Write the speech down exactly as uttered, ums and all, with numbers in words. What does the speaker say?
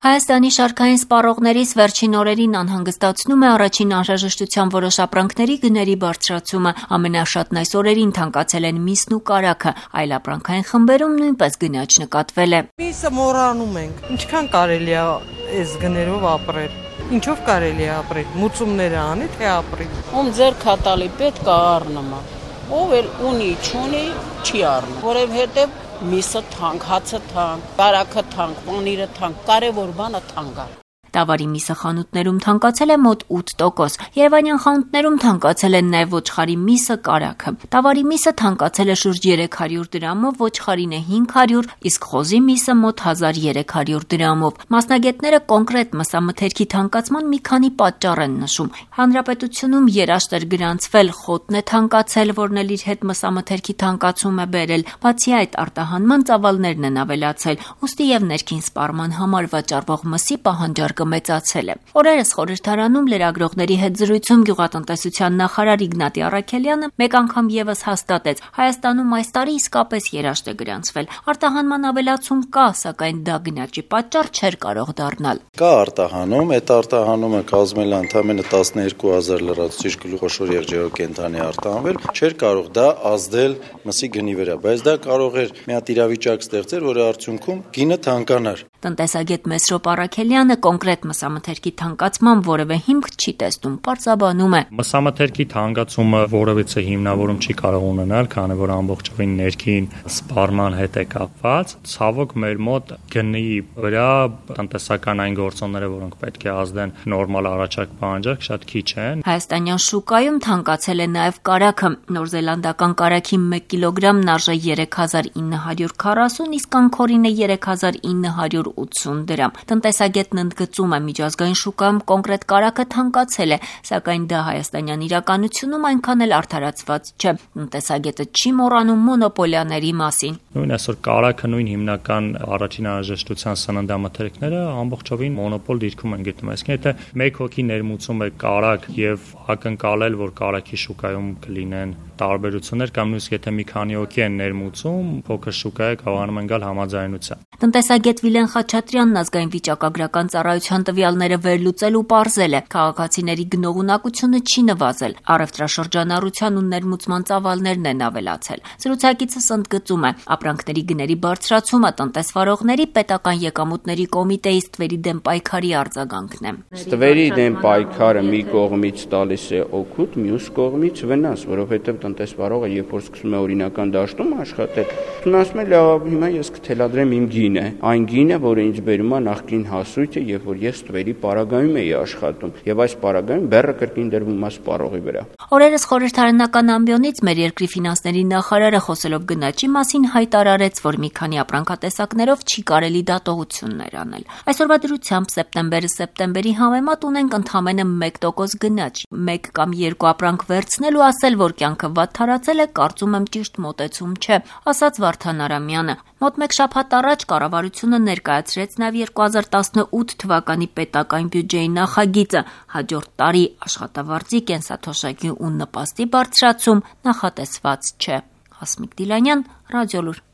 Հայաստանի շարքային սպառողներից վերջին օրերին անհանգստացնում է առաջին անհրաժեշտության որոշ ապրանքների գների բարձրացումը։ Ամենաշատն այս օրերին թանկացել են միսն ու կարագը, այլ ապրանքային խմբերում նույնպես գնաճ նկատվել է։ Միսը մոռանում ենք, ինչքան կարելի է այս գներով ապրել, ինչով կարելի է ապրել, մուծումները անի, թե ապրի։ Ում ձեր քատալի պետք է առնում, ով էլ ունի, չունի, չի առնում, որովհետև միսը թանկ, հացը թանկ, կարագը թանկ, պանիրը թանկ, կարևոր բանը թանկ է։ Տավարի միսը խանութներում թանկացել է մոտ ութ տոկոս, երևանյան խանութներում թանկացել են նաև ոչխարի միսը, կարագը։ Տավարի միսը թանկացել է շուրջ երեք հարյուր դրամով, ոչխարին է հինգ հարյուր, իսկ խոզի միսը մոտ հազար երեք հարյուր դրամով։ Մասնագետները կոնկրետ մսամթերքի թանկացման մի քանի պատճառ են նշում։ Հանրապետությունում երաշտ էր գրանցվել, խոտն է թանկացել, որն էլ իր հետ մսամթերքի թանկացում է բերել։ Բացի այդ, արտահանման ծավալներն են ավելացել, ուստի եւ ներքին սպառման համար վաճառվող մսի պահանջարկը մեծացել է։ Օրերս խորհրդարանում լրագրողների հետ զրույցում գյուղատնտեսության նախարար Իգնատի Առաքելյանը մեկ անգամ եւս հաստատեց. Հայաստանում այս տարի իսկապես երաշտ է գրանցվել։ Արտահանման ավելացում կա, սակայն դա գնաճի պատճառ չէր կարող դառնալ։ Կա արտահանում, այդ արտահանումը կազմել է ընդամենը տասներկու հազար լրացուցիչ գլուխոշոր եղջերուկենտրոնի արտահանվել, չէր կարող դա ազդել մսի գնի վրա, բայց դա կարող էր մի հատ իրավիճակ ստեղծել, որի արդյունքում գինը թանկանար։ Տնտեսագետ Մեսրոպ Առաքելյանը կոնկրետ մսամթերքի թանկացման որևէ հիմք չի տեսնում, պարզաբանում է։ Մսամթերքի թանկացումը որևէ հիմնավորում չի կարող ունենալ, քանի որ ամբողջովին ներքին սպառման հետ է կապված։ Ցավոք մեր մոտ գնի վրա տնտեսական այն գործոնները, որոնք պետք է ազդեն նորմալ առաջարկ պահանջարկ, շատ քիչ են։ Հայաստանյան շուկայում թանկացել է նաև կարագը։ Նորզելանդական կարագի մեկ կիլոգրամն արժե երեք հազար ինը հարյուր քառասուն, իսկ անկորինը երեք հազար ինը հարյուր ութսուն դրամ։ Տնտեսագետն ընդգծում է, միջազգային շուկայում կոնկրետ կարագը թանկացել է, սակայն դա հայաստանյան իրականությունում այնքան էլ արդարացված չէ։ Տնտեսագետը չի մոռանում մոնոպոլիաների մասին։ Նույն այսօր կարագը, նույն հիմնական առաջին անհրաժեշտության սննդամթերքները ամբողջովին մոնոպոլ դիրքում են գտնվում։ Այսինքն, եթե մեկ հոգի ներմուծում է կարագ եւ ակնկալել, որ կարագի շուկայում կլինեն տարբերություններ, կամ նույնիսկ եթե մի քանի հոգի են ներմուծում, փոքր շուկայը կարողանում են գալ համաձայնության։ Տնտեսագետ Վիլեն Խաչատրյանն ազգային վիճակագրական ծառայության տվյալները վերլուծել ու պարզել է, քաղաքացիների գնողունակությունը չի նվազել, առևտրաշրջանառության ու ներմուծման ծավալներն են ավելացել։ Զրուցակիցս ընդգծում է, ապրանքների գների բարձրացումը տնտեսվարողների պետական եկամուտների կոմիտեի ստվերի դեմ պայքարի արձագանքն է։ Ստվերի դեմ պայքարը մի կողմից տալիս է օգուտ, մյուս կողմից վնաս, որովհետև տնտեսվարողը երբ որ սկսում է օրինական դաշտում աշխատել, ասում է լավ, հիմա ես կթելադրեմ իմ գինը, այն գինը, որը ինձ բերում է նախկին հասույթը, երբ որ ես ստվերի պարագայում էի աշխատում, եւ այս պարագայում բեռը կրկին դրվում է սպառողի վրա։ Օրերս խորհրդարանական ամբիոնից մեր երկրի ֆինանսների նախարարը խոսելով գնաճի մասին հայտարարեց, որ մի քանի ապրանքատեսակներով չի կարելի դատողություններ անել։ Այսօրվա դրությամբ սեպտեմբերը սեպտեմբերի համեմատ ունենք ընդամենը մեկ տոկոս գնաճ։ Մեկ կամ երկու ապրանք վերցնել ու ասել, որ կյանքը վատթարացել է, կարծում եմ ճիշտ մոտեցում չէ, ասաց Վարդան Արամյանը։ Մոտ մեկ շաբաթ առաջ կառավարությունը ներկայացրեց նաև երկու հազար տասնութ թվականի պետական բյուջեի նախագիծը, հաջորդ տարի աշխատավարձի, կենսաթոշակի ու նպաստի բարձրացում նախատեսված չէ։ Հասմիկ Դիլանյան, Ռադիոլուր։